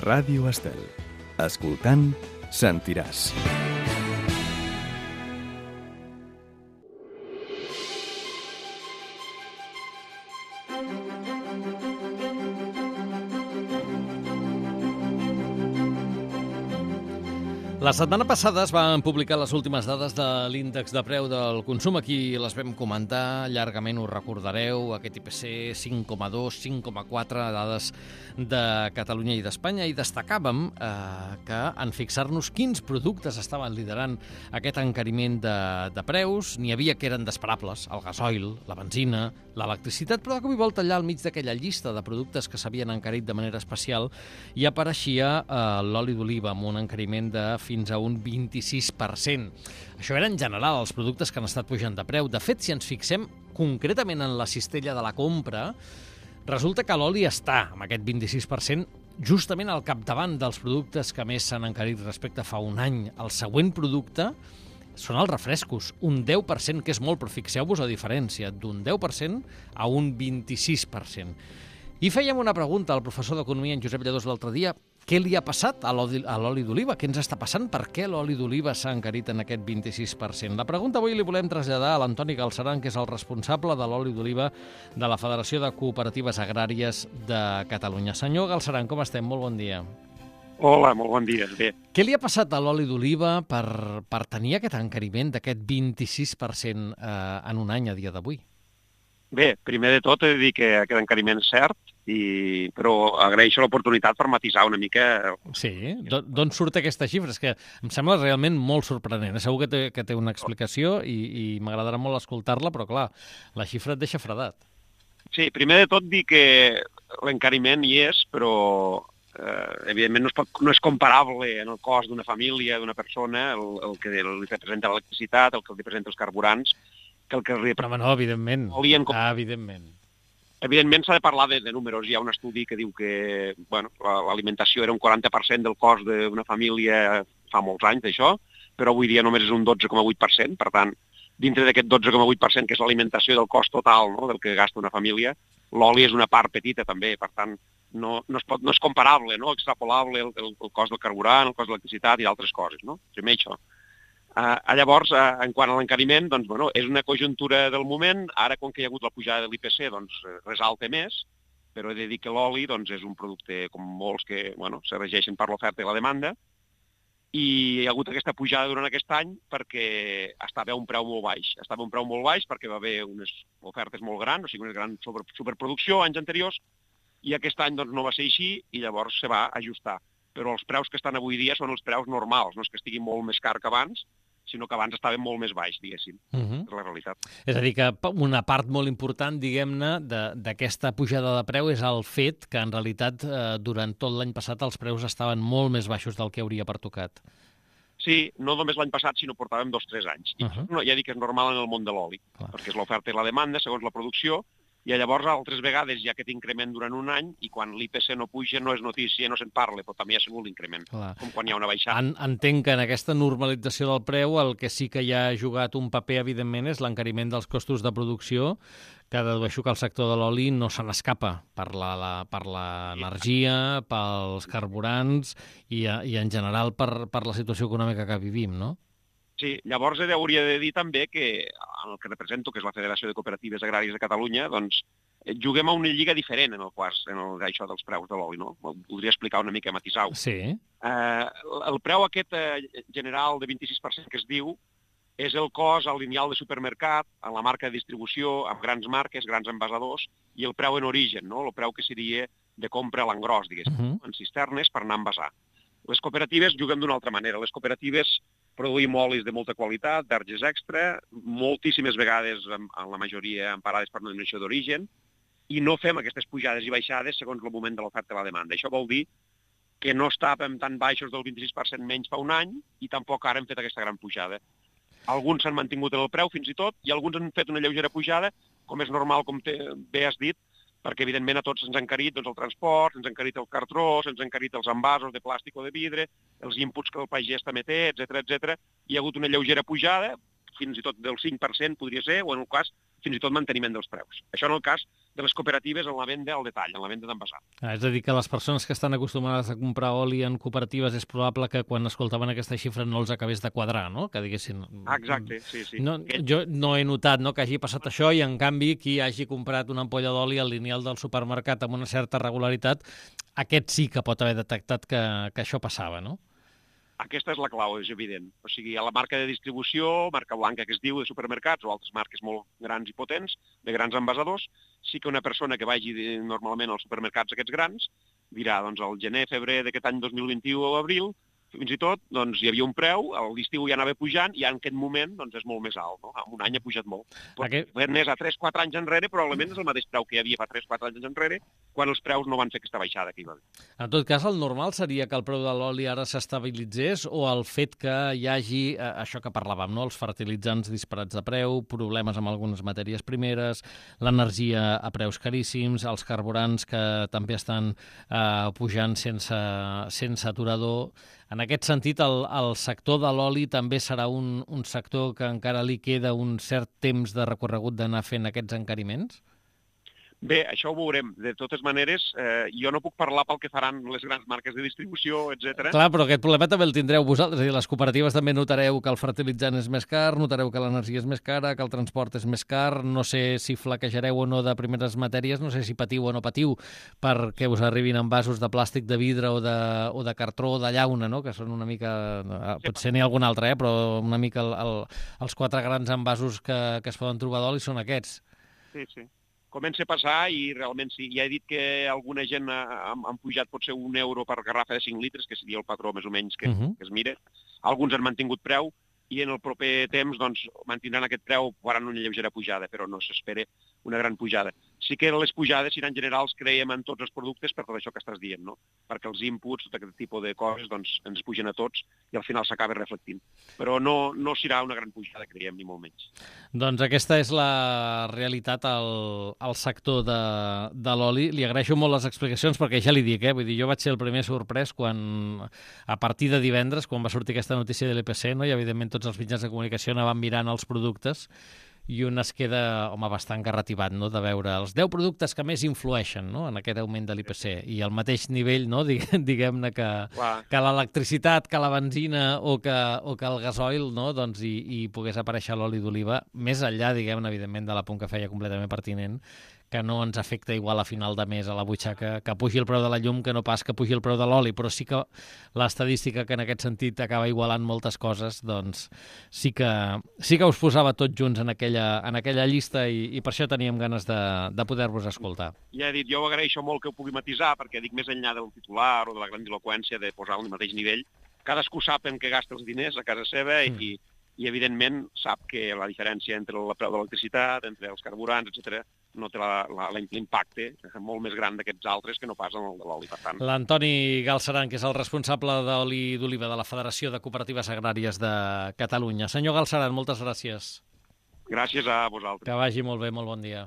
Ràdio Estel. Escoltant, sentiràs. La setmana passada es van publicar les últimes dades de l'índex de preu del consum. Aquí les vam comentar llargament, ho recordareu, aquest IPC 5,2, 5,4, dades de Catalunya i d'Espanya, i destacàvem que en fixar-nos quins productes estaven liderant aquest encariment de preus, n'hi havia que eren despreparables, el gasoil, la benzina, l'electricitat, però de cop i volta allà al mig d'aquella llista de productes que s'havien encarit de manera especial hi apareixia l'oli d'oliva amb un encariment de fins a un 26%. Això era en general els productes que han estat pujant de preu. De fet, si ens fixem concretament en la cistella de la compra, resulta que l'oli està amb aquest 26% justament al capdavant dels productes que més s'han encarit respecte a fa un any. El següent producte són els refrescos, un 10%, que és molt, però fixeu-vos la diferència, d'un 10% a un 26%. I fèiem una pregunta al professor d'Economia, en Josep Lladós, l'altre dia. Què li ha passat a l'oli d'oliva? Què ens està passant? Per què l'oli d'oliva s'ha encarit en aquest 26%? La pregunta avui li volem traslladar a l'Antoni Galceran, que és el responsable de l'oli d'oliva de la Federació de Cooperatives Agràries de Catalunya. Senyor Galceran, com estem? Molt bon dia. Hola, molt bon dia. Bé. Què li ha passat a l'oli d'oliva per tenir aquest encariment d'aquest 26% en un any a dia d'avui? Bé, primer de tot he de dir que aquest encariment és cert, però agraeixo l'oportunitat per matisar una mica. Sí, d'on surt aquesta xifra? És que em sembla realment molt sorprenent. Segur que té una explicació i m'agradarà molt escoltar-la, però clar, la xifra et deixa fredat. Sí, primer de tot dir que l'encariment hi és, però evidentment no és comparable en el cost d'una família, d'una persona, el que li representa l'electricitat, el que li representa els carburants, que el que li representa... No, evidentment. Evidentment. Evidentment s'ha de parlar de números. Hi ha un estudi que diu que l'alimentació era un 40% del cost d'una família fa molts anys d'això, però avui dia només és un 12,8%. Per tant, dintre d'aquest 12,8%, que és l'alimentació del cost total, no?, del que gasta una família, l'oli és una part petita també. Per tant, no és comparable, no?, extrapolable el cost del carburant, el cost de l'electricitat i d'altres coses, no? Primer això. Llavors, en quant a l'encariment, doncs, és una conjuntura del moment. Ara, com que hi ha hagut la pujada de l'IPC, doncs, resalta més, però he de dir que l'oli és un producte, com molts, que se regeixen per l'oferta i la demanda, i hi ha hagut aquesta pujada durant aquest any perquè estava a un preu molt baix. Estava a un preu molt baix perquè va haver unes ofertes molt grans, o sigui, una gran superproducció anys anteriors, i aquest any no va ser així i llavors se va ajustar. Però els preus que estan avui dia són els preus normals, no és que estigui molt més car que abans, sinó que abans estaven molt més baix, diguéssim. És la realitat. És a dir, que una part molt important, diguem-ne, d'aquesta pujada de preu és el fet que, en realitat, durant tot l'any passat els preus estaven molt més baixos del que hauria pertocat. Sí, no només l'any passat, sinó portàvem 2 o 3 anys. I ja dic que és normal en el món de l'oli, perquè és l'oferta i la demanda, segons la producció, i llavors altres vegades hi ha aquest increment durant un any i quan l'IPC no puja no és notícia, no se'n parla, però també hi ha sigut l'increment, com quan hi ha una baixada. Entenc que en aquesta normalització del preu el que sí que hi ha jugat un paper, evidentment, és l'encariment dels costos de producció, que dedueixo que el sector de l'oli no se n'escapa per l'energia, pels carburants i en general per la situació econòmica que vivim, no? Sí, llavors hauria de dir també que en el que represento, que és la Federació de Cooperatives Agràries de Catalunya, doncs juguem a una lliga diferent en això dels preus de l'oli, no? Podria explicar una mica, matisar-ho. Sí. El preu aquest general de 26% que es diu és el cost al lineal de supermercat, en la marca de distribució, amb grans marques, grans envasadors, i el preu en origen, no? El preu que seria de compra a l'engròs, diguéssim, en cisternes per anar a envasar. Les cooperatives juguem d'una altra manera. Les cooperatives produïm olis de molta qualitat, verges extra, moltíssimes vegades, en la majoria, emparades per una denominació d'origen, i no fem aquestes pujades i baixades segons el moment de l'oferta i la demanda. Això vol dir que no estàvem tan baixos del 26% menys fa un any i tampoc ara hem fet aquesta gran pujada. Alguns s'han mantingut en el preu fins i tot i alguns han fet una lleugera pujada, com és normal, com bé has dit, perquè evidentment a tots ens ha encarit el transport, ens ha encarit el cartró, ens ha encarit els envasos de plàstic o de vidre, els inputs que el pagès també té, etc. Hi ha hagut una lleugera pujada, fins i tot del 5% podria ser, o en el cas fins i tot manteniment dels preus. Això en el cas de les cooperatives en la venda al detall, en la venda d'envasat. És a dir, que les persones que estan acostumades a comprar oli en cooperatives és probable que quan escoltaven aquesta xifra no els acabés de quadrar, no? Que diguessin... Exacte, sí. No, jo no he notat, no, que hagi passat això i, en canvi, qui hagi comprat una ampolla d'oli al lineal del supermercat amb una certa regularitat, aquest sí que pot haver detectat que això passava, no? Aquesta és la clau, és evident. O sigui, a la marca de distribució, marca blanca que es diu de supermercats o altres marques molt grans i potents, de grans envasadors, sí que una persona que vagi normalment als supermercats aquests grans dirà, doncs, al gener, febrer d'aquest any 2021 o abril, fins i tot, doncs, hi havia un preu, a l'estiu ja anava pujant i en aquest moment doncs, és molt més alt, no? En un any ha pujat molt. Més a 3-4 anys enrere, probablement és el mateix preu que hi havia fa 3-4 anys enrere, quan els preus no van fer aquesta baixada que hi va haver. En tot cas, el normal seria que el preu de l'oli ara s'estabilitzés o el fet que hi hagi, això que parlàvem, no? Els fertilitzants disparats de preu, problemes amb algunes matèries primeres, l'energia a preus caríssims, els carburants que també estan pujant sense aturador. En aquest sentit, el sector de l'oli també serà un sector que encara li queda un cert temps de recorregut d'anar fent aquests encariments? Bé, això ho veurem. De totes maneres, jo no puc parlar pel que faran les grans marques de distribució, etc. Clar, però aquest problema també el tindreu vosaltres. És a dir, les cooperatives també notareu que el fertilitzant és més car, notareu que l'energia és més cara, que el transport és més car, no sé si flaquejareu o no de primeres matèries, no sé si patiu o no patiu perquè us arribin envasos de plàstic, de vidre o de cartró o de llauna, no? Que són una mica... Potser n'hi ha algun altre, però una mica els 4 grans envasos que es poden trobar d'oli són aquests. Sí. Comença a passar i realment sí. Ja he dit que alguna gent han pujat potser €1 per garrafa de 5 litres, que seria el patró més o menys que es mira. Alguns han mantingut preu i en el proper temps doncs, mantindran aquest preu, faran una lleugera pujada, però no s'espera una gran pujada. Sí que les pujades seran generals, creiem, en tots els productes per tot això que estàs dient, no? Perquè els inputs, tot aquest tipus de coses, doncs, ens pugen a tots i al final s'acaba reflectint. Però no serà una gran pujada, creiem, ni molt menys. Doncs aquesta és la realitat al sector de l'oli. Li agraeixo molt les explicacions perquè ja li dic, vull dir, jo vaig ser el primer sorprès quan, a partir de divendres, quan va sortir aquesta notícia de l'EPC, no? I evidentment tots els mitjans de comunicació anaven mirant els productes i un es queda, bastant garrativat, no?, de veure els 10 productes que més influeixen, no?, en aquest augment de l'IPC. I al mateix nivell, no?, diguem-ne que l'electricitat, que la benzina o que el gasoil, no?, doncs hi pogués aparèixer l'oli d'oliva, més enllà, diguem-ne, evidentment, de l'apunt que feia completament pertinent, que no ens afecta igual a final de mes a la butxaca, que pugi el preu de la llum que no pas que pugi el preu de l'oli, però sí que l'estadística que en aquest sentit acaba igualant moltes coses, doncs sí que us posava tots junts en aquella llista i per això teníem ganes de poder-vos escoltar. Ja he dit, jo agraeixo molt que ho pugui matisar, perquè dic més enllà del titular o de la grandiloqüència de posar al mateix nivell, cadascú sap en què gasta els diners a casa seva i evidentment sap que la diferència entre el preu de l'electricitat, entre els carburants, etc., no té l'impacte molt més gran d'aquests altres que no pas en el de l'oli. Per tant, l'Antoni Galceran, que és el responsable d'oli d'oliva de la Federació de Cooperatives Agràries de Catalunya. Senyor Galceran, moltes gràcies. Gràcies a vosaltres. Que vagi molt bé, molt bon dia.